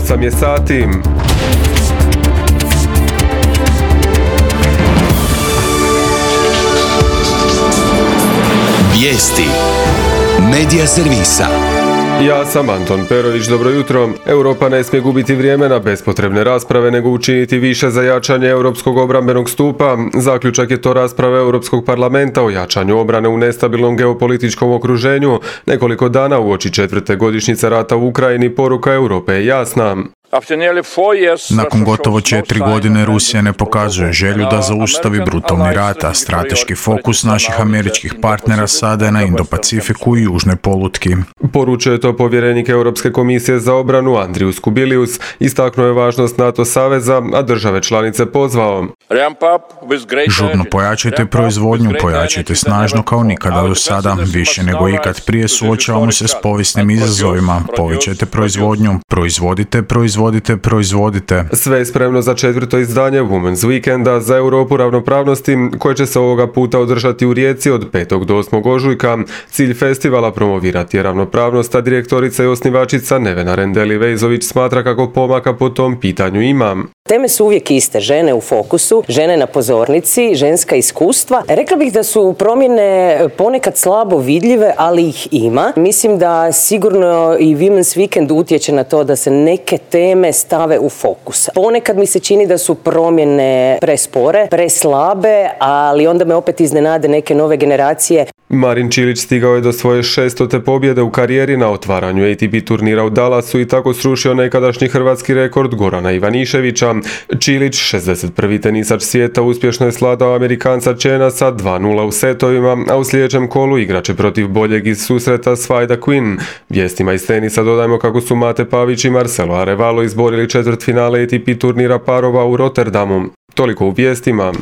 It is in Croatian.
8 je sati. Vijesti Medija servisa. Ja sam Anton Perović, dobro jutro. Europa ne smije gubiti vrijeme na bespotrebne rasprave, nego učiniti više za jačanje europskog obrambenog stupa. Zaključak je to rasprave Europskog parlamenta o jačanju obrane u nestabilnom geopolitičkom okruženju. Nekoliko dana uoči 4. godišnjice rata u Ukrajini poruka Europe je jasna. Nakon gotovo 4 godine Rusija ne pokazuje želju da zaustavi brutalni rat, a strateški fokus naših američkih partnera sada je na Indo-Pacifiku i južnoj polutki. Poručio je to povjerenik Europske komisije za obranu Andrius Kubilius. Istaknuo je važnost NATO saveza, a države članice pozvao. Žurno pojačajte proizvodnju, pojačajte snažno kao nikada do sada. Više nego ikad prije suočavamo se s povijesnim izazovima. Povećajte proizvodnju, proizvodite. Sve je spremno za 4. izdanje Women's Weekenda za Europu ravnopravnosti, koje će se ovoga puta održati u Rijeci od 5. do 8. ožujka. Cilj festivala promovirati je ravnopravnost, a direktorica i osnivačica Nevena Rendeli-Vejzović smatra kako pomaka po tom pitanju ima. Teme su uvijek iste, žene u fokusu, žene na pozornici, ženska iskustva. Rekla bih da su promjene ponekad slabo vidljive, ali ih ima. Mislim da sigurno i Women's Weekend utječe na to da se neke teme stave u fokus. Ponekad mi se čini da su promjene prespore, preslabe, ali onda me opet iznenade neke nove generacije. Marin Čilić stigao je do svoje 600. pobjede u karijeri na otvaranju ATP turnira u Dallasu i tako srušio nekadašnji hrvatski rekord Gorana Ivaniševića. Čilić, 61. tenisač svijeta, uspješno je svladao Amerikanca Chena sa 2:0 u setovima, a u sljedećem kolu igraće protiv boljeg iz susreta Svajda Quinn. Vijestima iz tenisa dodajmo kako su Mate Pavić i Marcelo Arevalo izborili četvrtfinale ATP turnira parova u Rotterdamu. Toliko u vijestima.